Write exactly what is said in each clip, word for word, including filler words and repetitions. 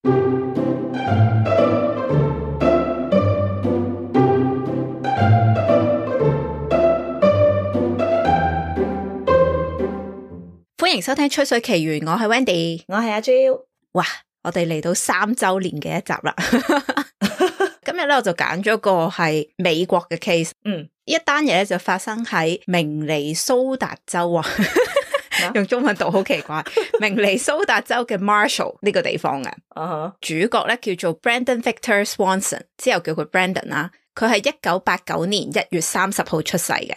歡迎收聽吹水奇緣，我係 Wendy， 我係阿 Jo。哇，我哋嚟到三周年嘅一集啦。今日咧我就揀咗個係美國嘅 case， 嗯，一單嘢咧就發生喺明尼蘇達州啊，用中文讀好奇怪，明尼蘇達州嘅 Marshall 呢個地方嘅，uh-huh. 主角咧叫做 Brandon Victor Swanson， 之後叫佢 Brandon 啦。佢係一九八九年一月三十號出世嘅，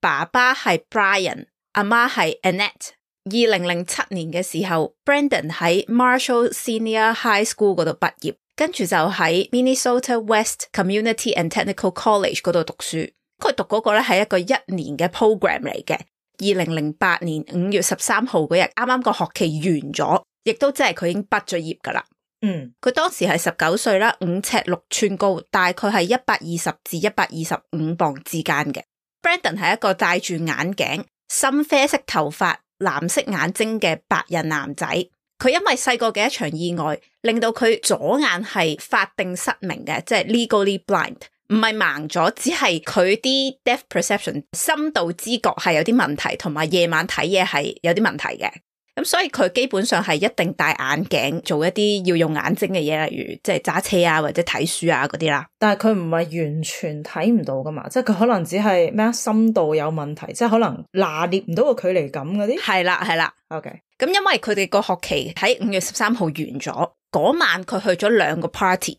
爸爸係 Brian， 阿媽係 Annette。二零零七年嘅時候 Brandon 喺 Marshall Senior High School 嗰度畢業，跟住就喺 Minnesota West Community and Technical College 嗰度讀書。佢讀嗰個咧係一個一年嘅 program 嚟嘅。二零零八年五月十三號嗰日，啱啱個學期完咗，亦都即係佢已經畢咗業噶啦。嗯，佢當時係十九歲啦，五尺六寸高，大概係一百二十至一百二十五磅之間嘅。Brandon 係一個戴住眼鏡、深啡色頭髮、藍色眼睛嘅白人男仔。佢因為細個嘅一場意外，令到佢左眼係法定失明嘅，即係 legally blind， 唔係盲咗，只係佢啲 depth perception 深度知覺係有啲問題，同埋夜晚睇嘢係有啲問題嘅。咁所以佢基本上係一定戴眼鏡做一啲要用眼睛嘅嘢，例如即係揸車啊或者睇書啊嗰啲啦。但係佢唔係完全睇唔到噶嘛，即係佢可能只係咩深度有問題，即係可能拿捏唔到個距離感嗰啲。係啦係啦 OK。咁因為佢哋個學期喺五月十三號完咗，嗰晚佢去咗兩個 party，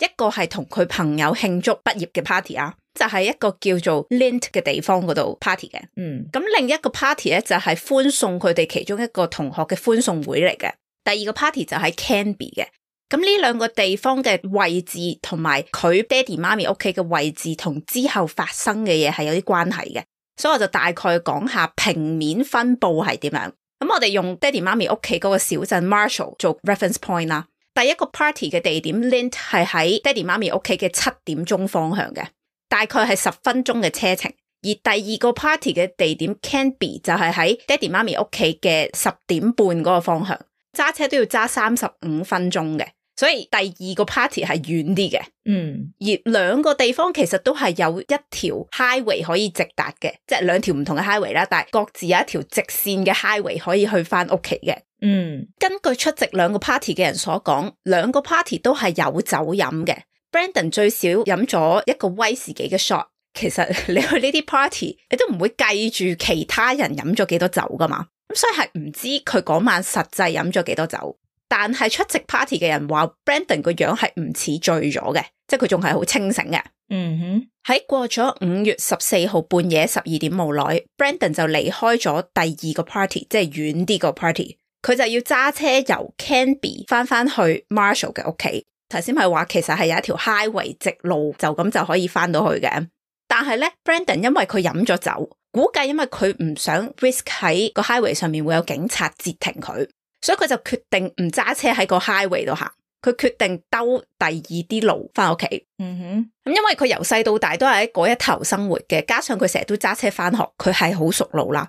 一個係同佢朋友慶祝畢業嘅 party 啊，就係一個叫做 Lint 嘅地方嗰度 party 嘅。嗯，咁另一個 party 咧就係歡送佢哋其中一個同學嘅歡送會嚟嘅。第二個 party 就喺 Canby 嘅。咁呢兩個地方嘅位置同埋佢爹哋媽咪屋企嘅位置同之後發生嘅嘢係有啲關係嘅，所以我就大概講下平面分布係點樣。咁我哋用爹哋媽咪屋企嗰個小鎮 Marshall 做 reference point 啦。第一個 party 嘅地點 Lint 係喺爹哋媽咪屋企嘅七點鐘方向嘅，大概係十分鐘嘅車程。而第二個 party 嘅地點 Canby 就係喺爹哋媽咪屋企嘅十點半嗰個方向，揸車都要揸三十五分鐘嘅。所以第二個 party 係遠啲嘅，嗯，而兩個地方其實都係有一條 highway 可以直達嘅，即係兩條唔同嘅 highway 啦，但係各自有一條直線嘅 highway 可以去翻屋企嘅。嗯，根據出席兩個 party 嘅人所講，兩個 party 都係有酒飲嘅。Brandon 最少飲咗一個威士忌嘅 shot。其實你去呢啲 party， 你都唔會計住其他人飲咗幾多酒噶嘛，咁所以係唔知佢嗰晚實際飲咗幾多酒。但係出席 party 嘅人話 Brandon 個樣係唔似醉咗嘅，即係佢仲係好清醒嘅。嗯哼，喺過咗五月十四號半夜十二點冇耐 Brandon 就離開咗第二個 party， 即係遠啲個 party， 佢就要揸車由 Canby 翻翻去 Marshall 嘅屋企。頭先係話其實係有一條 highway 直路，就咁就可以翻到去嘅。但係咧 Brandon 因為佢飲咗酒，估計因為佢唔想 risk 喺個 highway 上面會有警察截停佢，所以佢就決定唔揸車喺個 highway 度行，佢決定兜第二啲路翻屋企。嗯哼，咁因為佢由細到大都係喺嗰一頭生活嘅，加上佢成日都揸車翻學，佢係好熟路啦。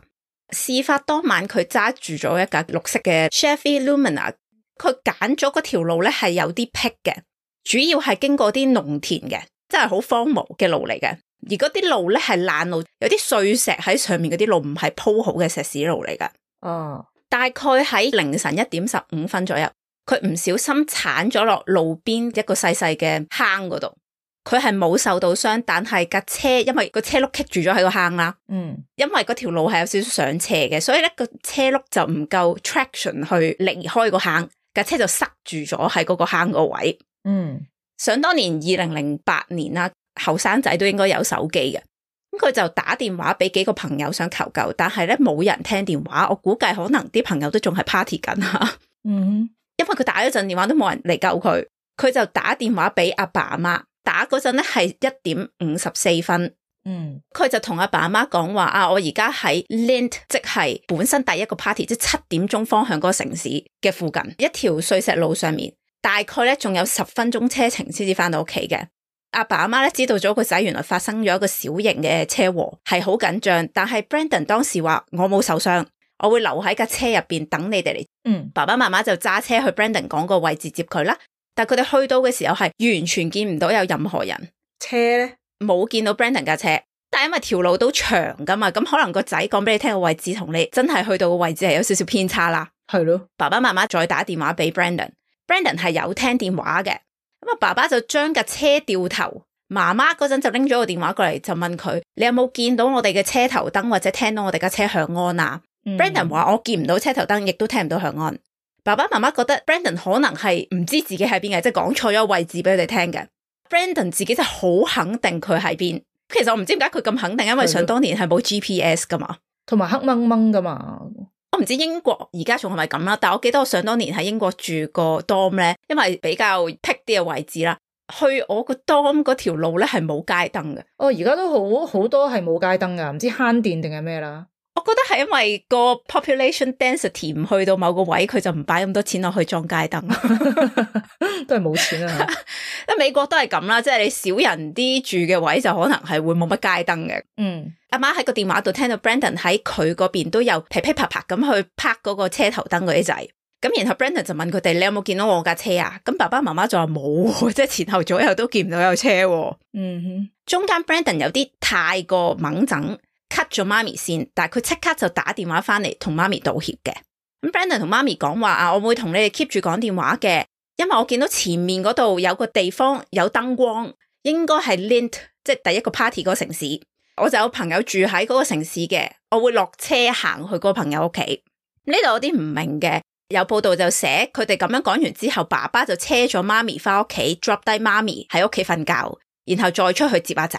事發當晚佢揸住咗一架綠色嘅 Chevy Lumina， 佢揀咗嗰條路咧係有啲僻嘅，主要係經過啲農田嘅，真係好荒蕪嘅路嚟嘅。而嗰啲路咧係爛路，有啲碎石喺上面，嗰啲路唔係鋪好嘅石屎路嚟噶。哦，大概喺凌晨一點十五分左右，佢唔小心鏟咗落路邊一個細細嘅坑嗰度。佢係冇受到傷，但係架車因為個車轆棘住咗喺個坑啦。嗯，因為嗰條路係有少少上斜嘅，所以咧個車轆就唔夠 traction 去離開個坑，架車就塞住咗喺嗰個坑個位。嗯，想當年二零零八年啦。後生仔都應該有手機嘅，咁佢就打電話俾幾個朋友想求救，但係咧冇人聽電話，我估計可能啲朋友都仲係 party 緊吓。嗯，因為佢打咗陣電話都冇人嚟救佢，佢就打電話俾阿爸阿媽，打嗰陣咧係一點五十四分。嗯，佢就同阿爸阿媽講話啊，我而家喺 Lint， 即係本身第一個 party， 即係七點鐘方向嗰個城市嘅附近一條碎石路上面，大概咧仲有十分鐘車程先至翻到屋企嘅。阿爸阿媽咧知道咗個仔原來發生咗一個小型嘅車禍，係好緊張，但係 Brandon 當時話我冇受傷，我會留喺架車入邊等你哋嚟。嗯，爸爸媽媽就揸車去 Brandon 講個位置接佢啦。但係佢哋去到嘅時候係完全見唔到有任何人。車咧冇見到 Brandon 架車，但係因為條路都長噶嘛，咁可能個仔講俾你聽個位置同你真係去到個位置係有少少偏差啦。係咯，爸爸媽媽再打電話俾 Brandon，Brandon 係有聽電話嘅。咁啊，爸爸就將架車掉頭，媽媽嗰陣就拎咗個電話過嚟，就問佢：你有冇見到我哋嘅車頭燈或者聽到我哋架車響安啊？嗯、Brandon 話：我見唔到車頭燈，亦都聽唔到響安。爸爸媽媽覺得 Brandon 可能係唔知自己喺邊嘅，即係講錯咗位置俾佢哋聽嘅。Brandon 自己就好肯定佢喺邊。其實我唔知點解佢咁肯定，因為想當年係冇 G P S 噶嘛，同埋黑掹掹噶嘛。我唔知英國而家仲係咪咁啦，但我記得我想當年喺英國住個 dorm 咧，因為比較僻啲嘅位置啦，去我個 dorm 嗰條路咧係冇街燈嘅。哦，而家都好好多係冇街燈噶，唔知慳電定係咩啦。我覺得係因為個 population density 唔去到某個位，佢就唔擺咁多錢落去裝街燈，都係冇錢啊！美國都係咁啦，即係你少人啲住嘅位就可能係會冇乜街燈嘅。嗯，阿媽喺個電話度聽到 Brandon 喺佢嗰邊都有噼噼啪啪咁去拍嗰個車頭燈嗰啲掣，咁然後 Brandon 就問佢哋：你有冇見到我架車啊？咁爸爸媽媽就話冇，即係前後左右都見唔到有車。嗯哼，中間 Brandon 有啲太過猛整。cut 咗媽咪先，但係佢即刻就打電話翻嚟同媽咪道歉嘅。咁 Brandon 同媽咪講話啊，我會同你哋 keep 住講電話嘅，因為我見到前面嗰度有個地方有燈光，應該係 Lint， 即係第一個 party 嗰個城市。我就有朋友住喺嗰個城市嘅，我會落車行去嗰個朋友屋企。呢度有啲唔明嘅，有報道就寫佢哋咁樣講完之後，爸爸就車咗媽咪翻屋企 drop 低媽咪喺屋企瞓覺，然後再出去接阿仔。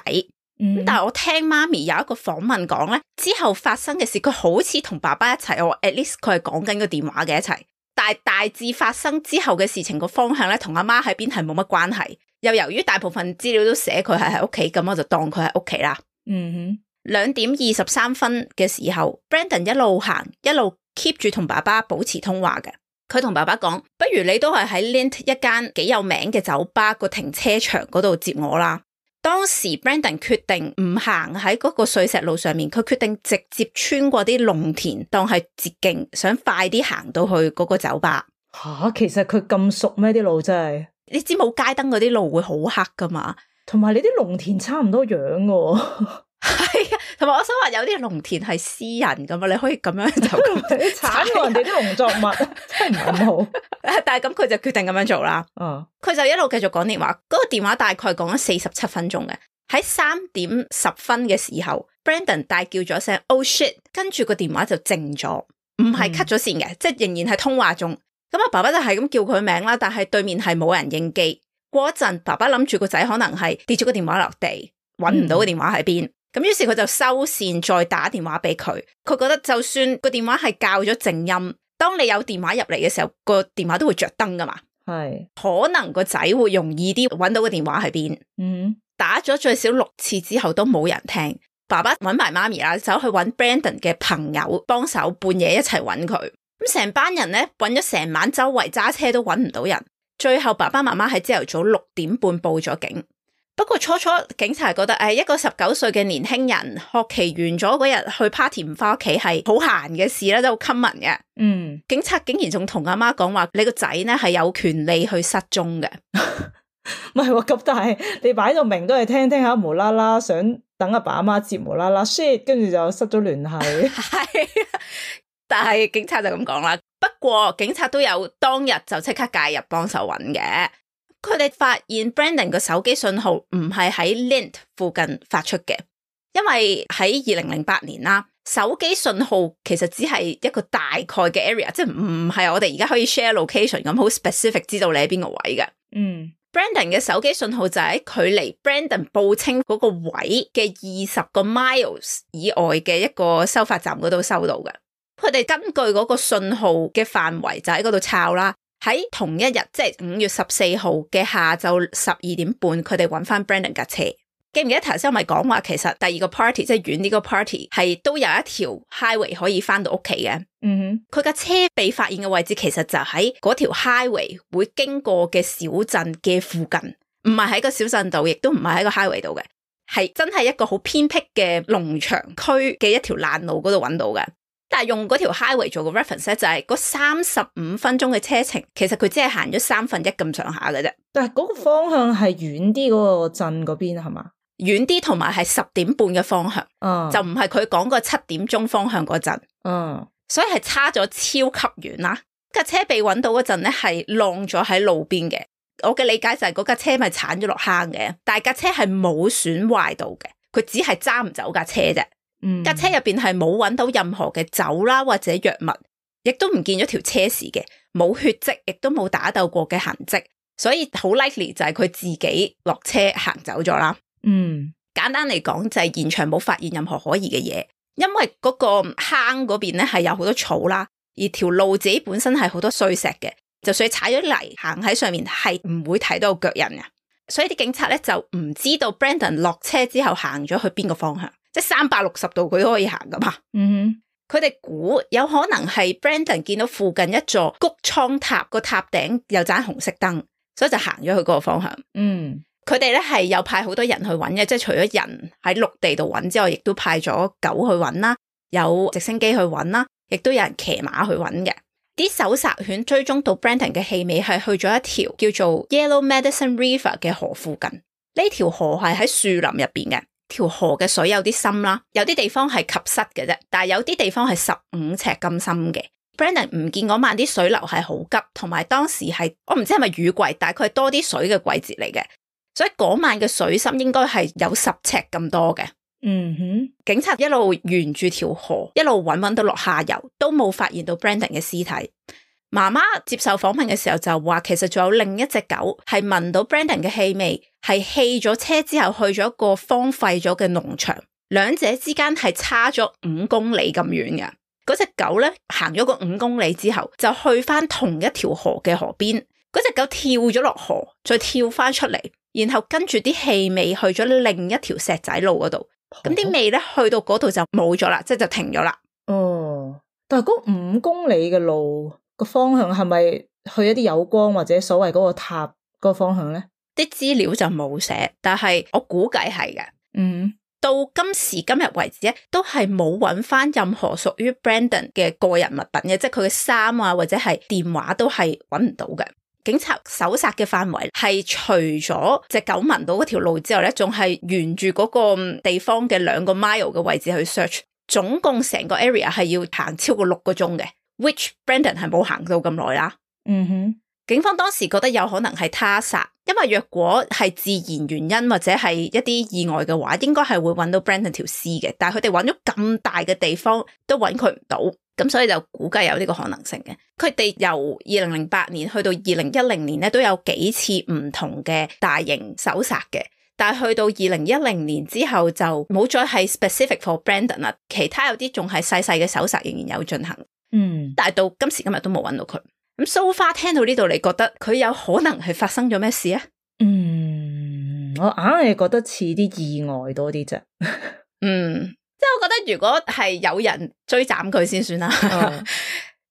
嗯、但係我聽媽咪有一個訪問講咧，之後發生嘅事，佢好似同爸爸一齊，我 at least 佢係講緊個電話嘅一齊，但係大致發生之後嘅事情個方向咧，同阿媽喺邊係冇乜關係。又由於大部分資料都寫佢係喺屋企，咁我就當佢喺屋企啦。嗯哼，兩點二十三分嘅時候 ，Brandon 一路行一路 keep 住同爸爸保持通話嘅。佢同爸爸講：不如你都係喺 Lint 一間幾有名嘅酒吧個停車場嗰度接我啦。當時 Brandon 決定唔行喺嗰個碎石路上面，佢決定直接穿過啲農田當係捷徑，想快啲行到去嗰個酒吧。吓、啊，其實佢咁熟咩？啲路真係，你知冇街燈嗰啲路會好黑噶嘛？同埋你啲農田差唔多樣嘅。係啊，同埋我想話有啲農田係私人噶嘛，你可以咁樣就你鏟過人哋啲農作物，真係唔係咁好。但係咁佢就決定咁樣做啦。嗯，佢就一路繼續講電話，嗰、那個電話大概講咗四十七分鐘嘅。喺三點十分嘅時候 ，Brandon 大叫咗聲 "Oh shit"， 跟住個電話就靜咗，唔係 cut 咗線嘅，嗯、即係仍然係通話中。咁啊，爸爸就係咁叫佢名啦，但係對面係冇人應機。過一陣，爸爸諗住個仔可能係跌咗個電話落地，搵唔到個電話喺邊。咁、嗯、於是佢就收線，再打電話俾佢。佢覺得就算個電話係校咗靜音，當你有電話入嚟嘅時候，個電話都會着燈噶嘛。係可能個仔會容易啲搵到個電話喺邊。嗯，打咗最少六次之後都冇人聽。爸爸搵埋媽咪啦，走去搵 Brandon 嘅朋友幫手，半夜一齊搵佢。咁成班人咧搵咗成晚，周圍揸車都搵唔到人。最後爸爸媽媽喺朝頭早六點半報咗警。不過初初警察覺得誒，一個十九歲嘅年輕人學期完咗嗰日去 party 唔翻屋企係好閒嘅事啦，都好 common 嘅。嗯，警察竟然仲同阿媽講話，你個仔咧係有權利去失蹤嘅。唔係喎，咁但係你擺到明都係聽聽下，無啦啦想等阿爸阿媽接，無啦啦 shit， 跟住就失咗聯繫。係，但係警察就咁講啦。不過警察都有當日就即刻介入幫手揾嘅。佢哋發現 Brandon 個手機信號唔係喺 Lint 附近發出嘅，因為喺二零零八年啦，手機信號其實只係一個大概嘅 area， 即係唔係我哋而家可以 share location 咁好 specific 知道你喺邊個位嘅。嗯 ，Brandon 嘅手機信號就喺距離 Brandon 報稱嗰個位嘅二十個 miles 以外嘅一個收發站嗰度收到嘅。佢哋根據嗰個信號嘅範圍就喺嗰度抄啦。喺同一日，即係五月十四號嘅下晝十二點半，佢哋揾翻 Brandon 架車。記唔記得頭先我咪講話，其實第二個 party 即係遠呢個 party 係都有一條 highway 可以翻到屋企嘅。嗯哼，佢架車被發現嘅位置其實就喺嗰條 highway 會經過嘅小鎮嘅附近，唔係喺個小鎮度，亦都唔係喺個 highway 度嘅，係真係一個好偏僻嘅農場區嘅一條爛路嗰度揾到嘅。但係用嗰條 highway 做個 reference 咧，就係嗰三十五分鐘嘅車程，其實佢只係行咗三分一咁上下嘅啫。但係嗰個方向係遠啲嗰個鎮嗰邊係嘛？遠啲，同埋係十點半嘅方向，嗯，就唔係佢講個七點鐘方向嗰陣，嗯，所以係差咗超級遠啦。架車被揾到嗰陣咧，係晾咗喺路邊嘅。我嘅理解就係嗰架車咪鏟咗落坑嘅，但係架車係冇損壞到嘅，佢只係揸唔走架車啫。嗯，架車入邊係冇揾到任何嘅酒啦或者藥物，亦都唔見咗條車匙嘅，冇血跡，亦都冇打鬥過嘅痕跡，所以好 likely 就係佢自己落車行走咗啦。嗯，簡單嚟講就係現場冇發現任何可疑嘅嘢，因為嗰個坑嗰邊咧係有好多草啦，而條路自己本身係好多碎石嘅，就算踩咗泥行喺上面係唔會睇到腳印嘅，所以啲警察咧就唔知道 Brandon 落車之後行咗去邊個方向。即係三百六十度佢都可以行噶嘛。嗯哼，佢哋估有可能係 Brandon 見到附近一座谷倉塔個塔頂有盞紅色燈，所以就行咗去嗰個方向。嗯，佢哋咧係有派好多人去揾嘅，即係除咗人喺陸地度揾之外，亦都派咗狗去揾啦，有直升機去揾啦，亦都有人騎馬去揾嘅。啲搜殺犬追蹤到 Brandon 嘅氣味係去咗一條叫做 Yellow Medicine River 嘅河附近，呢條河係喺樹林入邊嘅。條河嘅水有啲深啦，有啲地方係及膝嘅啫，但係有啲地方係十五尺咁深嘅。Brandon 唔見嗰晚啲水流係好急，同埋當時係我唔知係咪雨季，但係佢係多啲水嘅季節嚟嘅，所以嗰晚嘅水深應該係有十尺咁多嘅。嗯哼，警察一路沿住條河一路揾揾到落下游，都冇發現到 Brandon 嘅屍體。媽媽接受訪問嘅時候就話，其實仲有另一隻狗係聞到 Brandon 嘅氣味，係棄咗車之後去咗一個荒廢咗嘅農場，兩者之間係差咗五公里咁遠嘅。嗰隻狗咧行咗個五公里之後，就去翻同一條河嘅河邊。嗰隻狗跳咗落河，再跳翻出嚟，然後跟住啲氣味去咗另一條石仔路嗰度。咁啲味咧去到嗰度就冇咗啦，即係就停咗啦。哦，但係嗰五公里嘅路個方向係咪去一啲有光或者所謂嗰個塔嗰個方向咧？啲資料就冇寫，但係我估計係嘅。嗯，到今時今日為止咧，都係冇揾翻任何屬於 Brandon 嘅個人物品嘅，即係佢嘅衫啊或者係電話都係揾唔到嘅。警察搜殺嘅範圍係除咗隻狗聞到嗰條路之後咧，仲係沿住嗰個地方嘅兩個 mile 嘅位置去 search， 總共成個 area 係要行超過六個鐘嘅 ，which Brandon 係冇行到咁耐啦。嗯哼，警方當時覺得有可能係他殺，因為若果係自然原因或者係一啲意外嘅話，應該係會揾到 Brandon 條屍嘅，但係佢哋揾咗咁大嘅地方都揾佢唔到。咁所以就估計有呢個可能性嘅。佢哋由二零零八年去到二零一零年咧，都有幾次唔同嘅大型搜殺嘅。但係去到二零一零年之後就冇再係 specific for Brandon 啦。其他有啲仲係細細嘅搜殺仍然有進行。嗯，但係到今時今日都冇揾到佢。咁 so far 聽到呢度，你覺得佢有可能係發生咗咩事啊？嗯，我硬係覺得似啲意外多啲啫。嗯。即係我覺得如果係有人追斬佢先算啦，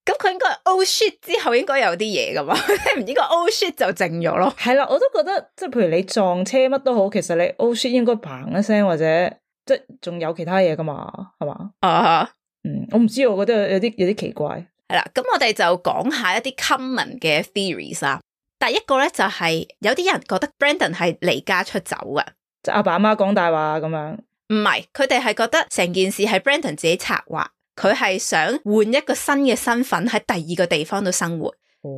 咁佢、嗯、應該 oh shit 之後應該有啲嘢噶嘛，唔應該 oh shit 就靜咗咯。係啦，我都覺得即係譬如你撞車乜都好，其實你 oh shit 應該嘭一聲或者即係仲有其他嘢噶嘛，係嘛？啊、uh，huh. 嗯，我唔知，我覺得有啲有啲奇怪。係啦，咁我哋就講下一啲 common 嘅 theories 啦。第一個咧就係、是、有啲人覺得 Brandon 係離家出走嘅，即係阿爸阿媽講大話咁樣。唔係，佢哋係覺得成件事係 Brandon 自己策劃，佢係想換一個新嘅身份喺第二個地方度生活。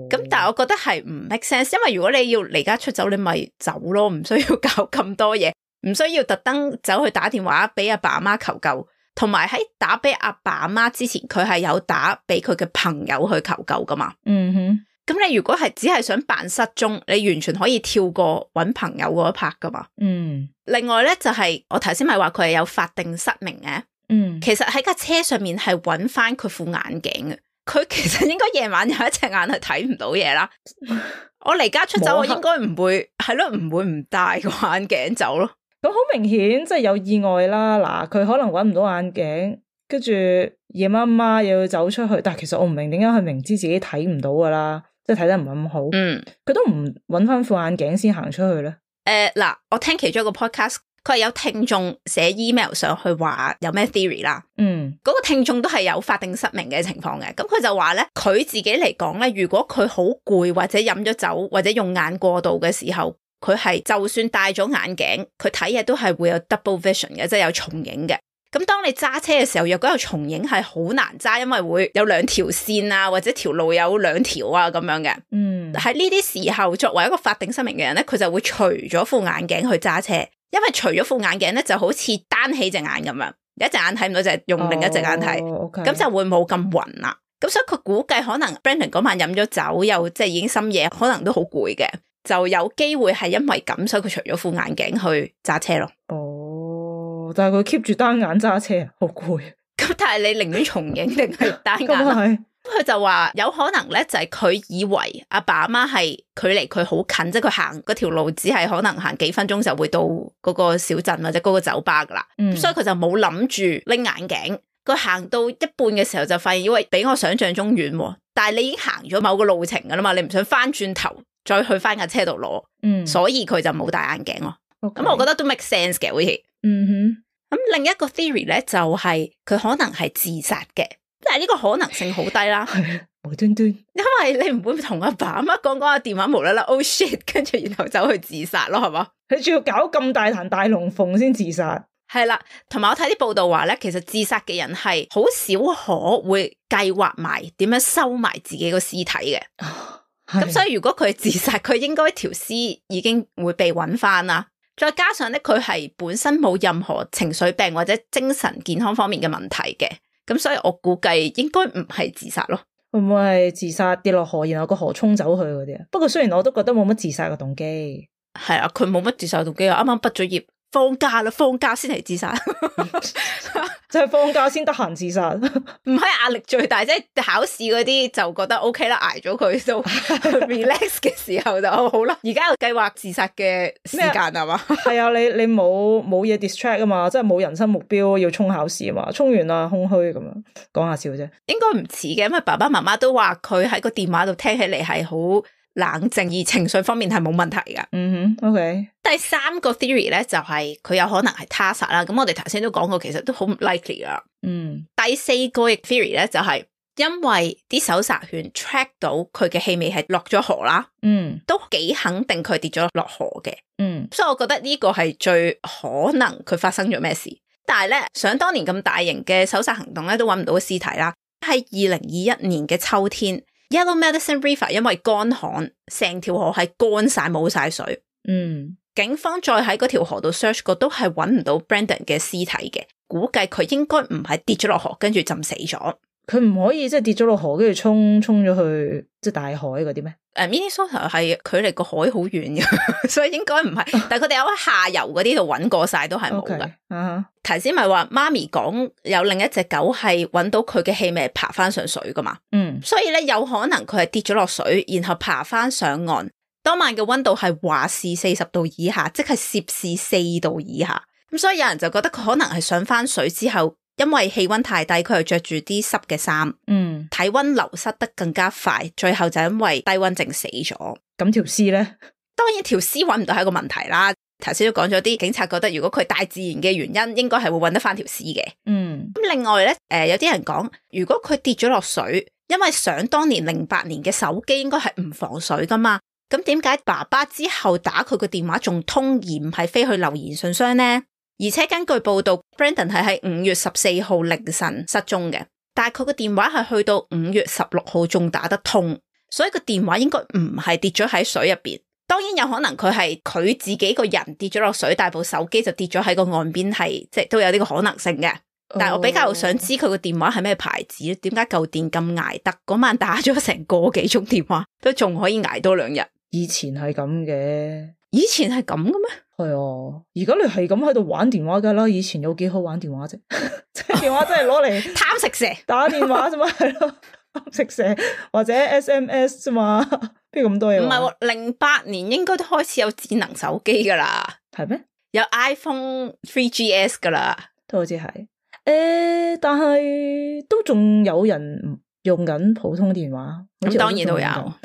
咁、哦、但係我覺得係唔 make sense，因為如果你要離家出走，你咪走咯，唔需要搞咁多嘢，唔需要特登走去打電話俾阿爸阿媽求救，同埋喺打俾阿爸阿媽之前，佢係有打俾佢嘅朋友去求救噶嘛。嗯哼。咁你如果係只係想扮失蹤，你完全可以跳過搵朋友嗰一 part 噶嘛。嗯。另外咧就係、是、我頭先咪話佢係有法定失明嘅。嗯。其實喺架車上面係搵翻佢副眼鏡嘅，佢其實應該夜晚有一隻眼係睇唔到嘢啦。我離家出走，我應該唔會係咯，唔會唔戴個眼鏡走咯。咁好明顯即係有意外啦。嗱，佢可能搵唔到眼鏡，跟住夜媽媽又要走出去，但係其實我唔明點解佢明知自己睇唔到噶啦。即係睇得唔係咁好，嗯，佢都唔揾翻副眼鏡先行出去咧。誒，嗱，我聽其中一個 podcast，佢係有聽眾寫 email 上去話有咩 theory 啦。嗯，嗰個聽眾都係有法定失明嘅情況嘅，咁佢就話咧，佢自己嚟講咧，如果佢好攰或者飲咗酒或者用眼過度嘅時候，佢係就算戴咗眼鏡，佢睇嘢都係會有 double vision 嘅，即係有重影嘅。咁當你揸車嘅時候，若果有重影係好難揸，因為會有兩條線啊，或者條路有兩條啊咁樣嘅。嗯，喺呢啲時候，作為一個法定失明嘅人咧，佢就會除咗副眼鏡去揸車，因為除咗副眼鏡咧，就好似單起隻眼咁樣，一隻眼睇唔到就係用另一隻眼睇，咁、哦 okay. 就會冇咁暈啦。咁所以佢估計可能 Brandon 嗰晚飲咗酒，又即係已經深夜，可能都好攰嘅，就有機會係因為咁，所以佢除咗副眼鏡去揸車咯。哦，但係佢 keep 住單眼揸車，好攰。咁但係你寧願重影定係單眼？咁佢就話有可能咧，就係佢以為阿爸阿媽係距離佢好近，即係佢行嗰條路只係可能行幾分鐘就會到嗰個小鎮或者嗰個酒吧噶啦。嗯，所以佢就冇諗住拎眼鏡。佢行到一半嘅時候就發現，因為比我想象中遠，但係你已經行咗某個路程噶啦嘛，你唔想翻轉頭再去翻架車度攞，嗯，所以佢就冇戴眼鏡咯。咁 Okay. 我覺得都 make sense 嘅，好似，嗯哼。咁另一個 theory 咧就係、是、佢可能係自殺嘅，但係呢個可能性好低啦，無端端，因為你唔會同阿爸阿媽講講下電話無啦啦 oh shit， 跟住然後走去自殺咯，係嘛？你仲要搞咁大壇大龍鳳先自殺？係啦，同埋我睇啲報道話咧，其實自殺嘅人係好少可會計劃埋點樣收埋自己個屍體嘅。咁、哦、所以如果佢係自殺，佢應該條屍已經會被揾翻啦。再加上咧，佢係本身冇任何情緒病或者精神健康方面嘅問題嘅，咁所以我估計應該唔係自殺咯。會唔會係自殺跌落河，然後個河沖走佢嗰啲啊？不過雖然我都覺得冇乜自殺嘅動機。係啊，佢冇乜自殺動機啊！啱啱畢咗業。放假啦，放假先嚟自殺，即係放假先得閒自殺，唔係壓力最大，即係考試嗰啲就覺得 OK 啦，挨咗佢都 relax 嘅時候就好啦。而家有計劃自殺嘅時間係嘛？係啊，你你冇冇嘢 distract 啊嘛，即係冇人生目標要衝考試啊嘛，衝完啦空虛咁樣，講下笑啫。應該唔似嘅，因為爸爸媽媽都話佢喺個電話度聽起嚟係好冷靜，而情緒方面係冇問題噶。嗯哼 OK。第三個 theory 咧就係、是、佢有可能係他殺啦。咁我哋頭先都講過，其實都好唔 likely 噶。嗯。第四個 theory 咧就係、是、因為啲搜查犬 track 到佢嘅氣味係落咗河啦。嗯。都幾肯定佢跌咗落河嘅。嗯。所以我覺得呢個係最可能佢發生咗咩事。但係咧，想當年咁大型嘅搜查行動咧，都揾唔到個屍體啦。喺二零二一年嘅秋天。Yellow Medicine River 因為乾旱，成條河係乾晒冇晒水。嗯，警方再喺嗰條河度 search 過，都係揾唔到 Brandon 嘅屍體嘅，估計佢應該唔係跌咗落河，跟住浸死咗。佢唔可以即係跌咗落河，跟住沖沖咗去即係大海嗰啲咩？誒、uh,，Minnesota 係距離個海好遠嘅，所以應該唔係。但係佢哋有喺下游嗰啲度揾過晒，都係冇噶。頭先咪話媽咪講有另一隻狗係揾到佢嘅氣味爬翻上水噶嘛？嗯，所以咧有可能佢係跌咗落水，然後爬翻上岸。當晚嘅溫度係華氏四十度以下，即係攝氏四度以下。咁所以有人就覺得佢可能係上翻水之後。因為氣溫太低，佢又着住啲濕嘅衫，嗯，體溫流失得更加快，最後就因為低溫症死咗。咁條屍咧，當然條屍揾唔到係一個問題啦。頭先都講咗啲警察覺得，如果佢大自然嘅原因，應該係會揾得翻條屍嘅。嗯，咁另外咧，誒、呃、有啲人講，如果佢跌咗落水，因為想當年零八年嘅手機應該係唔防水噶嘛，咁點解爸爸之後打佢個電話仲通，而唔係飛去留言信箱呢？而且根據報道 Brandon 係喺五月十四號凌晨失蹤嘅，但係佢個電話係去到五月十六號仲打得通，所以個電話應該唔係跌咗喺水入邊。當然有可能佢係佢自己個人跌咗落水，但部手機就跌咗喺個岸邊，係即係都有呢個可能性嘅。但係我比較想知佢個電話係咩牌子，點解舊電咁捱得？嗰晚打咗成個幾鐘電話，都仲可以捱多兩日。以前係咁嘅，以前係咁嘅咩？係啊，而家你係咁喺度玩電話噶啦，以前有幾好玩電話啫？即係電話真係攞嚟貪食蛇打電話啫嘛，係咯，貪食蛇或者 S M S 啫嘛，邊咁多嘢？唔係，零八年應該都開始有智能手機噶啦，係咩？有 iPhone 三 G S 噶啦，都好似係。誒、欸，但係都仲有人用緊普通電話，咁當然都有。係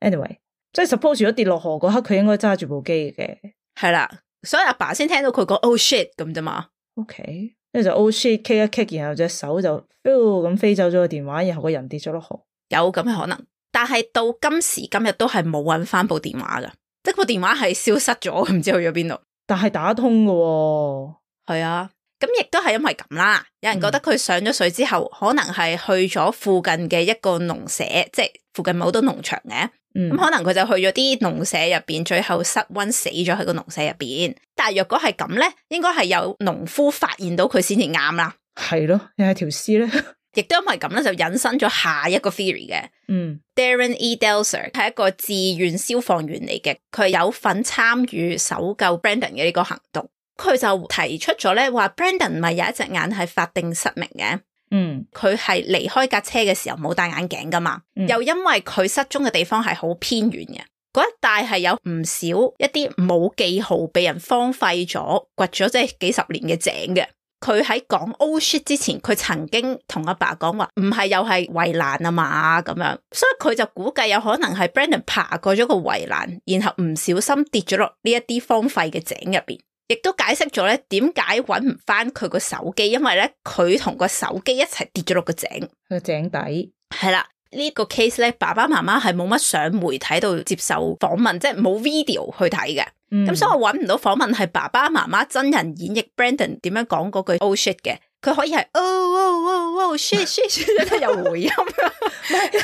anyway，即係 suppose 如果跌落河嗰刻，佢應該揸住部機嘅。係啦，所以阿爸先聽到佢講 oh shit 咁啫嘛。OK， 跟住就 oh shit kick 一 kick， 然後隻手就咁飛走咗個電話，然後個人跌咗落河。有咁嘅可能，但係到今時今日都係冇搵翻部電話噶，即係部電話係消失咗，唔知去咗邊度。但係打通噶喎。係啊。咁亦都係因為咁啦，有人覺得佢上咗水之後，嗯、可能係去咗附近嘅一個農舍，即係附近冇好多農場嘅，咁、嗯、可能佢就去咗啲農舍入邊，最後失溫死咗喺個農舍入邊。但係若果係咁咧，應該係有農夫發現到佢先至啱啦。係咯，又係條屍咧，亦都因為咁咧，就引申咗下一個 theory 嘅。嗯 Darren E. Delcer 係一個志願消防員嚟嘅，佢有份參與搜救 Brandon 嘅呢個行動。佢就提出咗咧，話 Brandon 唔係有一隻眼係法定失明嘅，嗯，佢係離開架車嘅時候冇戴眼鏡噶嘛，嗯、又因為佢失蹤嘅地方係好偏遠嘅，嗰一帶係有唔少一啲冇記號被人荒廢咗掘咗即係幾十年嘅井嘅。佢喺講 oh shit 之前，佢曾經同阿爸講話唔係又係圍欄啊嘛咁樣，所以佢就估計有可能係 Brandon 爬過咗個圍欄，然後唔小心跌咗落呢一啲荒廢嘅井入邊。亦都解釋咗咧，點解揾唔翻佢個手機，因為咧佢同個手機一齊跌咗落個井，個井底係啦。呢個 case 咧，爸爸媽媽係冇乜上媒體度接受訪問，即係冇 video 去睇嘅。咁、嗯、所以我揾唔到訪問係爸爸媽媽真人演繹 Brandon 點樣講嗰句 oh shit 嘅。佢可以係 oh oh oh oh shit shit shit 有回音，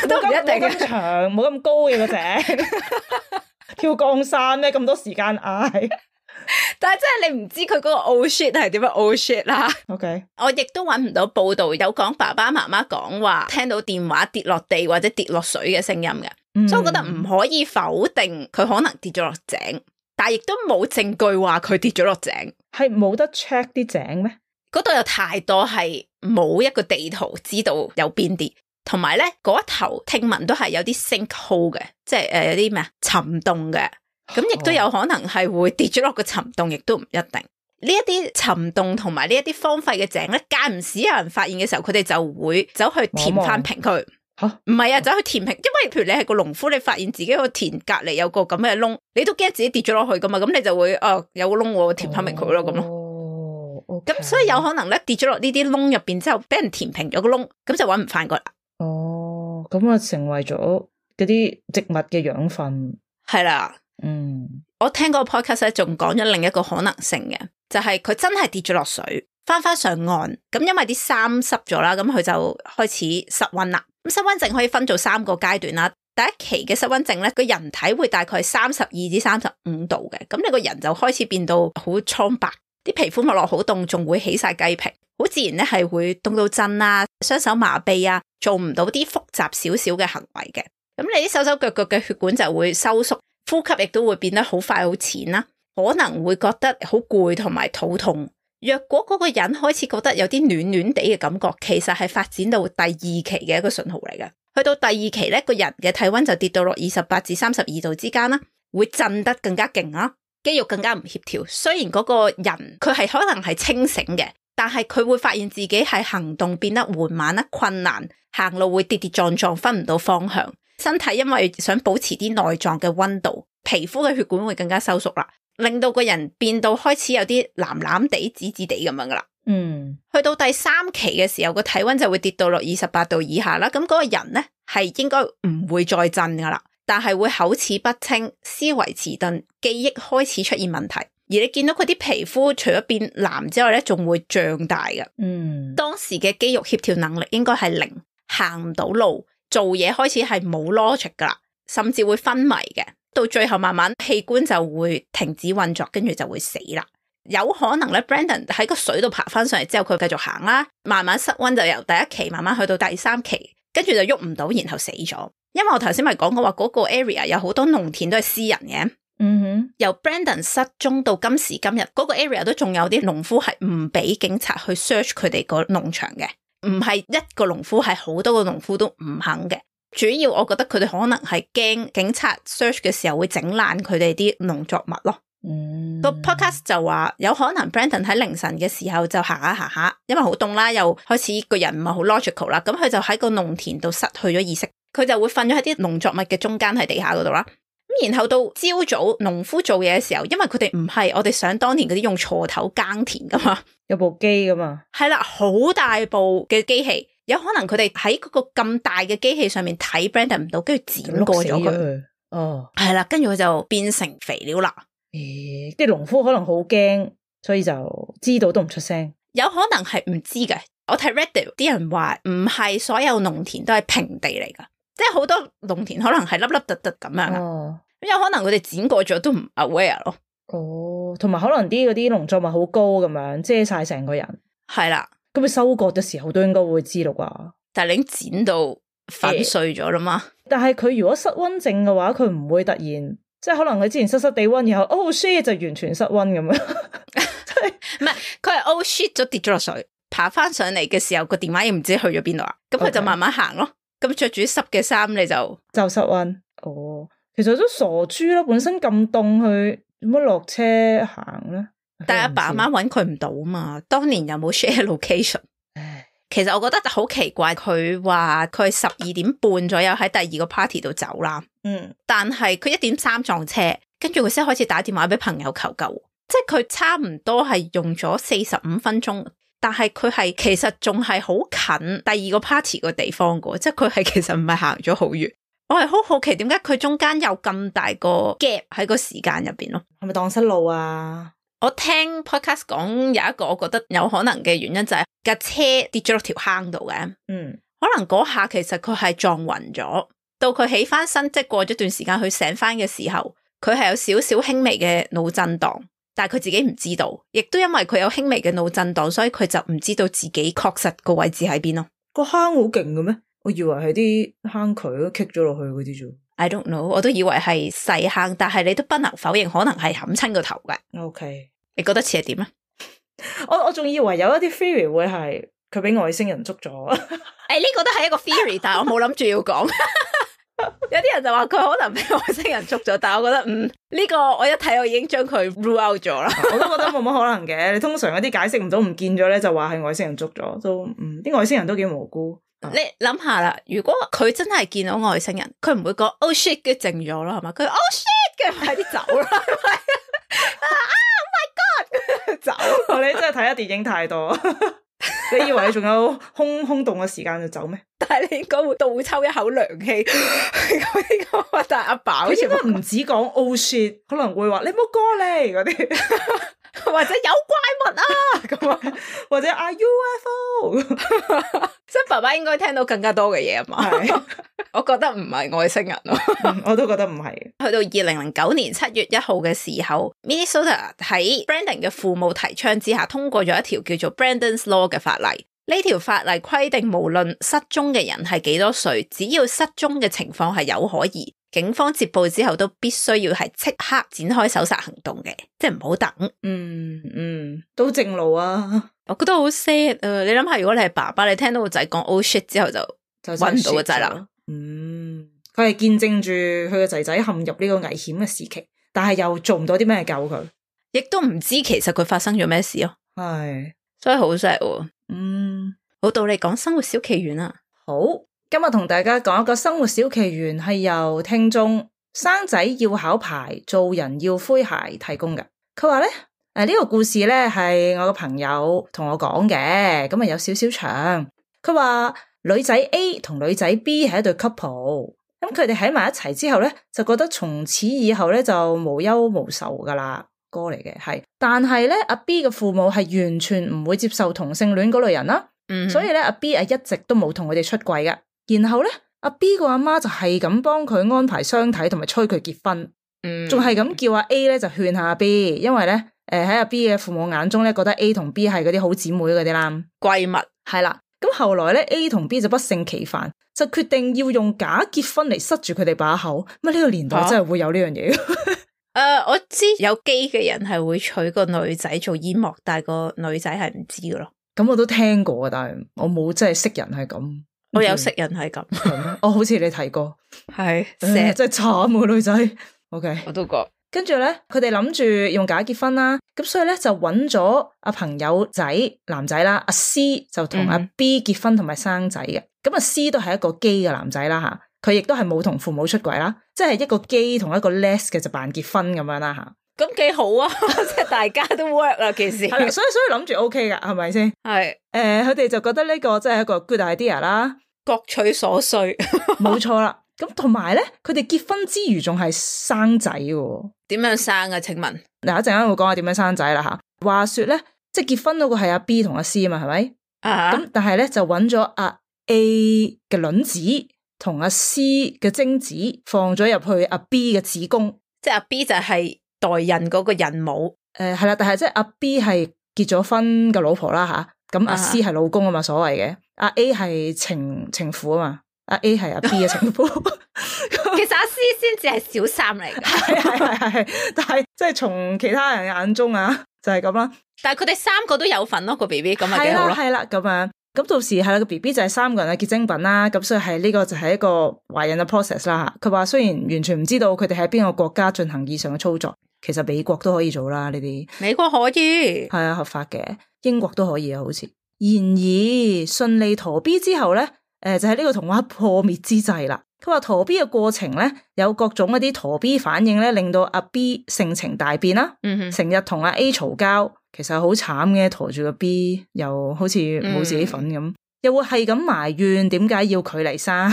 都唔一定咁長，冇咁高嘅個井，跳降山咩？咁多時間嗌。但係真係你唔知佢嗰個 oh shit 係點樣 oh shit 啦。OK，我亦都揾唔到報道有講爸爸媽媽講話聽到電話跌落地或者跌落水嘅聲音嘅，嗯、所以我覺得唔可以否定佢可能跌咗落井，但係亦都冇證據話佢跌咗落井。係冇得 check 啲井咩？嗰度有太多係冇一個地圖知道有邊啲，同埋咧嗰一頭聽聞都係有啲 sinkhole 嘅，即係誒、呃、有啲咩啊沉洞嘅。咁亦都有可能係會跌咗落個沉洞，亦都唔一定。呢一啲沉洞同埋呢一啲荒廢嘅井咧，間唔時有人發現嘅時候，佢哋就會走去填翻平佢。吓，唔係啊，走去填平，因為譬如你係個農夫，你發現自己個田隔籬有個咁嘅窿，你都驚自己跌咗落去噶嘛，咁你就會哦有個窿我填翻平佢咯，咁咯。哦，咁所以有可能咧跌咗落呢啲窿入邊之後，俾人填平咗個窿，咁就搵唔翻個啦。哦，咁啊成為咗嗰啲植物嘅養分。係啦。嗯，我聽嗰個 podcast 咧，仲講咗另一個可能性嘅，就係、是、佢真係跌咗落水，翻翻上岸，咁因為啲衫濕咗啦，咁佢就開始失溫啦。咁失溫症可以分做三個階段啦。第一期嘅失溫症咧，個人體會大概三十二至三十五度嘅，咁你個人就開始變到好蒼白，啲皮膚膜落好凍，仲會起晒雞皮，好自然咧係會凍到震啊，雙手麻痹啊，做唔到啲複雜少少嘅行為嘅。咁你啲手手腳腳嘅血管就會收縮。呼吸亦都會變得好快好淺啦，可能會覺得好攰同埋肚痛。若果嗰個人開始覺得有啲暖暖地嘅感覺，其實係發展到第二期嘅一個信號嚟嘅。去到第二期咧，個人嘅體溫就跌到落二十八至三十二度之間啦，會震得更加勁啦，肌肉更加唔協調。雖然嗰個人佢係可能係清醒嘅，但係佢會發現自己係行動變得緩慢啦、困難，行路會跌跌撞撞，分唔到方向。身體因為想保持啲內臟嘅溫度，皮膚嘅血管會更加收縮啦，令到個人變到開始有啲藍藍地、紫紫地咁樣噶啦。嗯，去到第三期嘅時候，個體溫就會跌到落二十八度以下啦。咁嗰個人咧係應該唔會再震噶啦，但係會口齒不清、思維遲鈍、記憶開始出現問題。而你見到佢啲皮膚除咗變藍之外咧，仲會脹大噶。嗯，當時嘅肌肉協調能力應該係零，行唔到路。做嘢開始係冇 logic 噶啦，甚至會昏迷嘅，到最後慢慢器官就會停止運作，跟住就會死啦。有可能咧 Brandon 喺個水度爬翻上嚟之後，佢繼續行啦，慢慢失溫就由第一期慢慢去到第三期，跟住就喐唔到，然後死咗。因為我頭先咪講過話嗰個 area 有好多農田都係私人嘅，嗯哼，由 Brandon 失蹤到今時今日，嗰個 area 都仲有啲農夫係唔俾警察去 search 佢哋個農場嘅。唔係一個農夫，係好多個農夫都唔肯嘅。主要我覺得佢哋可能係驚警察 search 嘅時候會整爛佢哋啲農作物咯。嗯，個 podcast 就話有可能 Brandon 喺凌晨嘅時候就行下行下，因為好凍啦，又開始個人唔係好 logical 啦，咁佢就喺個農田度失去咗意識，佢就會瞓咗喺啲農作物嘅中間喺地下嗰度啦。咁咁然後到朝早農夫做嘢嘅時候，因為佢哋唔係我哋想當年嗰啲用鋤頭耕田噶嘛，有部機噶嘛，係啦，好大部嘅機器，有可能佢哋喺嗰個咁大嘅機器上面睇 Brandon 唔到，跟住剪過咗佢。哦，係啦，跟住佢就變成肥料啦。咦，啲農夫可能好驚，所以就知道都唔出聲。有可能係唔知嘅。我睇 Reddit 啲人話唔係所有農田都係平地嚟噶，即係好多農田可能係凹凹凸凸咁樣。哦，咁有可能佢哋剪過咗都唔 aware 咯。哦，同埋可能啲嗰啲農作物好高咁樣遮晒成個人。係啦，咁佢收割嘅時候都應該會知道啩。但係你已經剪到粉碎咗啦嘛。但係佢如果失溫症嘅話，佢唔會突然即係可能佢之前濕濕地溫，然後 oh shit 就完全失溫咁樣。唔係，佢係 oh shit 咗跌咗落水，爬翻上嚟嘅時候個電話亦唔知去咗邊度啊。咁佢就慢慢行咯。咁着住濕嘅衫你就就失溫。哦，其實都傻豬啦，本身咁凍去點樣落車行咧？但係阿爸阿媽搵佢唔到嘛，當年又冇 share location。其實我覺得好奇怪，佢話佢十二點半左右喺第二個 party 度走啦，嗯，但係佢一點三撞車，跟住佢先開始打電話俾朋友求救，即係佢差唔多係用咗四十五分鐘，但係佢係其實仲係好近第二個 party 個地方噶，即係佢係其實唔係行咗好遠。我係好好奇點解佢中間有咁大個 gap 喺個時間入邊咯？係咪蕩失路啊？我聽 podcast 講有一個我覺得有可能嘅原因就係架車跌咗落條坑度嘅，嗯，可能嗰下其實佢係撞暈咗，到佢起翻身，即係過咗段時間佢醒翻嘅時候，佢係有少少輕微嘅腦震盪，但係佢自己唔知道，亦都因為佢有輕微嘅腦震盪，所以佢就唔知道自己確實個位置喺邊咯。個坑好勁嘅咩？我以為係啲坑渠都棘咗落去嗰啲啫。I don't know， 我都以為係細坑，但係你都不能否認可能係冚親個頭嘅。OK， 你覺得似係點咧？我我仲以為有一啲 theory 會係佢俾外星人捉咗。誒，呢個都係一個 theory， 但係我冇諗住要講。有啲人就話佢可能俾外星人捉咗，但係我覺得嗯呢、呢個我一睇我已經將佢 rule out 咗啦。我都覺得冇乜可能嘅。你通常有啲解釋唔到唔見咗咧，就話係外星人捉咗，都嗯啲外星人都幾無辜。你諗下啦，如果佢真係見到外星人，佢唔會講 oh shit 嘅靜咗啦，係嘛？佢 oh shit 嘅快啲走啦，係咪？啊 oh my god 走！你真係睇下電影太多，你以為你仲有空空洞嘅時間就走咩？但係你應該會倒抽一口涼氣。嗰個但係阿爸好似應該唔止講 oh shit， 可能會話你唔好過嚟嗰啲。或者有怪物啊咁啊，或者 are U F O， 即係爸爸應該聽到更加多嘅嘢啊嘛。我覺得唔係外星人咯、嗯，我都覺得唔係。去到二零零九年七月一號嘅時候 ，Minnesota 喺 Brandon 嘅父母提倡之下，通過咗一條叫做 Brandon's Law 嘅法例。呢條法例規定，無論失蹤嘅人係幾多歲，只要失蹤嘅情況係有可疑，警方接報之後都必須要係即刻展開搜查行動嘅，即係唔好等。嗯嗯，都正路啊！我覺得好 sad 啊！你諗下，如果你係爸爸，你聽到個仔講 oh shit 之後就搵唔到個仔啦。嗯，佢係見證住佢個仔仔陷入呢個危險嘅時期，但係又做唔到啲咩救佢，亦都唔知其實佢發生咗咩事咯。係，所以好 sad 喎。嗯，好，到你講生活小奇緣啊。好，今日同大家講一個生活小奇緣，係由聽眾生仔要考牌，做人要灰鞋提供嘅。佢話咧，誒、呃、呢、這個故事咧係我個朋友同我講嘅，咁啊有少少長。佢話女仔 A 同女仔 B 係一對 couple，咁佢哋喺埋一齊之後咧，就覺得從此以後咧就無憂無愁噶啦。歌嚟嘅係，但係咧阿 B 嘅父母係完全唔會接受同性戀嗰類人啦，嗯、所以咧阿 B 係一直都冇同佢哋出櫃嘅。然後咧阿 B 個阿媽就係咁幫佢安排相睇同埋催佢結婚，仲係咁叫阿 A 咧就勸下阿 B， 因為咧誒喺阿 B 嘅父母眼中咧覺得 A 同 B 係嗰啲好姊妹嗰啲啦，閨蜜係啦。咁後來咧 A 同 B 就不勝其煩，就決定要用假結婚嚟塞住佢哋把口。乜呢個年代真係會有呢樣嘢？誒、uh, 我知有基嘅人係會娶個女仔做煙幕，但係個女仔係唔知㗎咯。咁我都聽過，但係我冇真係識人係咁。我有識人係咁，我好似你提過，係成日真係慘個女仔。OK，我都覺。跟住咧，佢哋諗住用假結婚啦，咁所以咧就揾咗阿朋友仔男仔啦，阿 C 就同阿 B 結婚同埋生仔嘅。咁阿 C 都係一個基嘅男仔啦吓。佢亦都係冇同父母出軌啦，即係一個 gay 同一個 les 嘅就扮結婚咁樣啦吓。咁幾好啊，即係大家都 work 啦件事。係啦，所以所以諗住 OK 噶，係咪先？係誒，呃，佢哋就覺得呢個真係一個 good idea 啦，各取所需，冇錯啦。咁同埋咧，佢哋結婚之餘仲係生仔喎。點樣生啊？請問嗱，一陣間會講下點樣生仔啦吓。話說咧，即係結婚嗰個係阿 B 同阿 C 啊嘛，係咪？啊，咁但係咧就揾咗阿 A 嘅卵子同阿 C 嘅精子放咗入去阿 B 嘅子宮，即係阿 B 就係代孕嗰個孕母。誒係啦，但係即係阿 B 係結咗婚嘅老婆啦吓，咁阿 C 係老公啊嘛，所謂嘅。阿 A 係情情婦啊嘛。阿 A 係阿 B 嘅情婦，其實阿 C 先至係小三嚟嘅，係係係係，但係即係從其他人眼中啊，就係咁啦。但係佢哋三個都有份咯，個 B B 咁咪幾好咯。係啦，咁樣咁到時係啦，個 B B 就係三個人嘅結晶品啦。咁所以係呢個就係一個懷孕嘅 process 啦。佢話雖然完全唔知道佢哋喺邊個國家進行以上嘅操作，其實美國都可以做啦呢啲。美國可以係啊，合法嘅，英國都可以啊，好似。然而順利陀 B 之後咧。誒、呃，就係、是、呢個童話破滅之際啦。佢話陀 B 嘅過程咧，有各種一啲陀 B 反應咧，令到阿 B 性情大變啦。嗯哼，成日同阿 A 嘈交，其實好慘嘅，陀住個 B 又好似冇自己份咁，嗯、又會係咁埋怨點解要佢嚟生，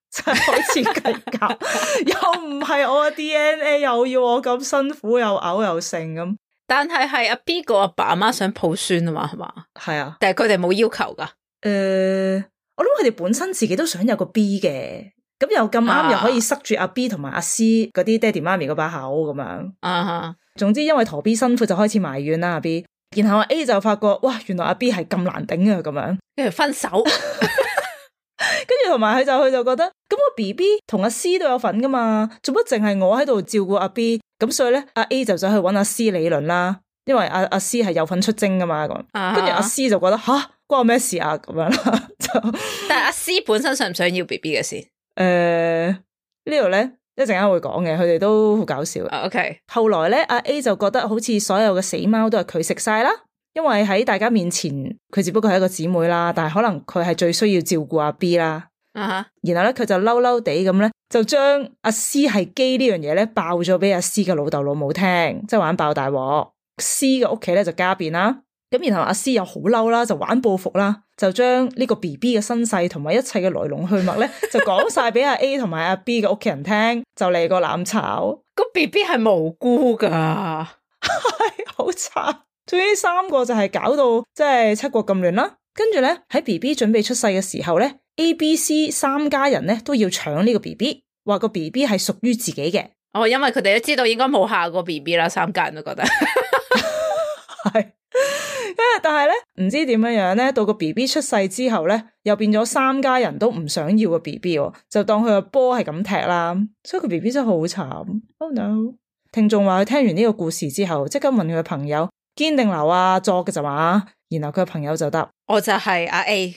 真係開始計較，又唔係我嘅 D N A， 又要我咁辛苦，又嘔又剩咁。但係係阿 B 個阿爸阿媽想抱孫啊嘛，係嘛？係啊，但係佢哋冇要求噶。誒、呃。我諗佢哋本身自己都想有個 B 嘅，咁又咁啱又可以塞住阿 B 同埋阿 C 嗰啲爹哋媽咪嗰把口咁樣。啊，總之因為陀 B 辛苦就開始埋怨啦阿 B， 然後阿 A 就發覺哇，原來阿 B 係咁難頂啊咁樣，跟住分手。跟住同埋佢就佢就覺得，咁個 B B 同阿 C 都有份噶嘛，做乜淨係我喺度照顧阿 B？ 咁所以咧，阿 A 就走去搵阿 C 理論啦，因為阿阿 C 係有份出征噶嘛咁。跟住阿 C 就覺得吓。關我咩事啊？咁樣啦，就但係阿 C 本身想唔想要 B B 嘅事？誒、呃，呢度咧一陣間會講嘅，佢哋都好搞笑。Uh, OK，後來咧，阿 A 就覺得好似所有嘅死貓都係佢食晒啦，因為喺大家面前佢只不過係一個姊妹啦，但係可能佢係最需要照顧阿 B 啦。啊哈，然後咧佢就嬲嬲地咁咧，就將阿 C 係基呢樣嘢咧爆咗俾阿 C 嘅老豆老母聽，即係玩爆大鑊。C 嘅屋企咧就家變啦。咁然後阿 C 又好嬲啦，就玩報復啦，就將呢個 B B 嘅身世同埋一切嘅來龍去脈咧，就講晒俾阿 A 同埋阿 B 嘅屋企人聽，就嚟個攬炒。個 B B 係無辜噶，係好慘。總之三個就係搞到即係七國咁亂啦。跟住咧喺 B B 準備出世嘅時候咧 ，A、B、C 三家人咧都要搶呢個 B B， 話個 B B 係屬於自己嘅。哦，因為佢哋都知道應該冇下個 B B 啦，三家人都覺得係。但係咧，唔知點樣樣咧，到個 B B 出世之後咧，又變咗三家人都唔想要個 B B， 就當佢個波係咁踢啦。所以個 B B 真係好慘。Oh no！ 聽眾話佢聽完呢個故事之後，即刻問佢嘅朋友堅定流啊作嘅就話，然後佢嘅朋友就答：我就係阿 A。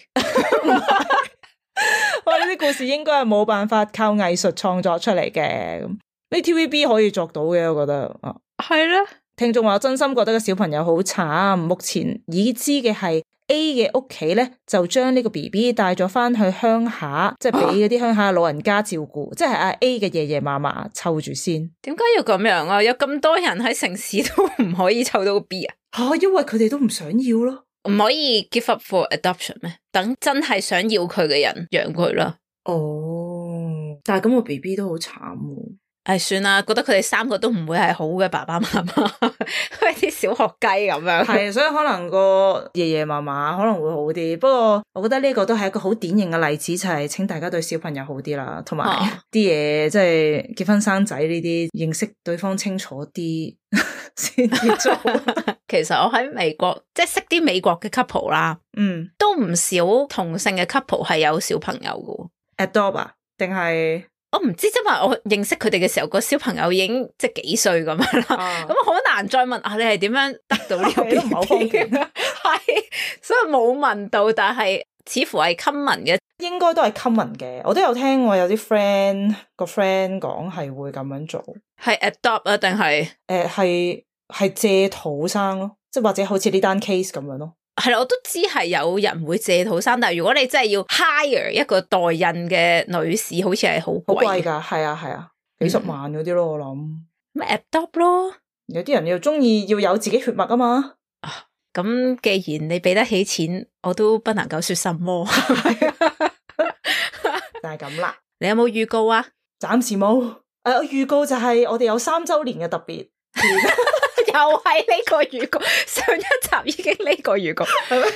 哇！呢啲故事應該係冇辦法靠藝術創作出嚟嘅，咁呢 T V B 可以作到嘅，我覺得啊，係啦。聽眾話我真心覺得個小朋友好慘，目前已知嘅係 A 嘅屋企咧就將呢個 B B 帶咗翻去鄉下，即係俾嗰啲鄉下老人家照顧，即係阿 A 嘅爺爺嫲嫲湊住先。點解要咁樣啊？有咁多人喺城市都唔可以湊到個 B 啊？吓，因為佢哋都唔想要咯，唔可以 give up for adoption 咩？等真係想要佢嘅人養佢啦。哦，但係咁個 B B 都好慘喎。唉，算啦，覺得佢哋三個都唔會係好嘅爸爸媽媽，好似啲小學雞咁樣。係，所以可能個爺爺嫲嫲可能會好啲。不過我覺得呢個都係一個好典型嘅例子，就係、是、請大家對小朋友好啲啦，同埋啲嘢即係結婚生仔呢啲，認識對方清楚啲先至做。其實我喺美國即係識啲美國嘅 couple 啦，嗯，都唔少同性嘅 couple 係有小朋友嘅。adopt 啊？定係？我唔知，因為我認識佢哋嘅時候，個小朋友已經即係幾歲咁樣啦，咁好難再問啊，你係點樣得到呢個 B B？ 唔係好方便，係，所以冇問到，但係似乎係 common 嘅，應該都係 common 嘅。我都有聽過有啲 friend 個 friend 講係會咁樣做，係 adopt 啊，定係誒係係借肚生咯，即係或者好似呢單 case 咁樣咯。係啦，我都知係有人會借套衫，但係如果你真係要 hire 一個代孕嘅女士，好似係好貴。好貴噶，係啊係啊，幾十萬嗰啲咯，我諗。咩 adopt 咯？有啲人又中意要有自己血脈啊嘛。啊，咁既然你俾得起錢，我都不能夠說什麼。就係咁啦。你有冇預告啊？暫時冇。誒、呃，預告就係我哋有三周年嘅特別。又係呢個預告，上一集已經呢個預告，係咩？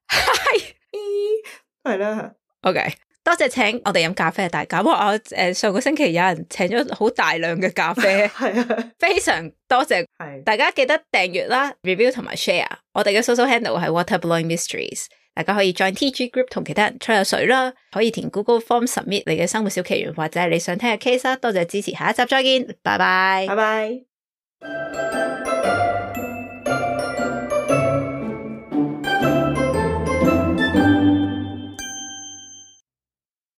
係，係啦。OK，多謝請我哋飲咖啡嘅大家。不過我誒上個星期有人請咗好大量嘅咖啡，係啊，非常多謝。係，大家記得訂閱啦、review 同埋 share。我哋嘅 social handle 係 Water Blowing Mysteries， 大家可以 join T G group 同其他人吹下水啦，可以填 Google Form submit 你嘅生活小奇懸或者係你想聽嘅 case 啦。多謝支持，下一集再見，拜拜，拜拜。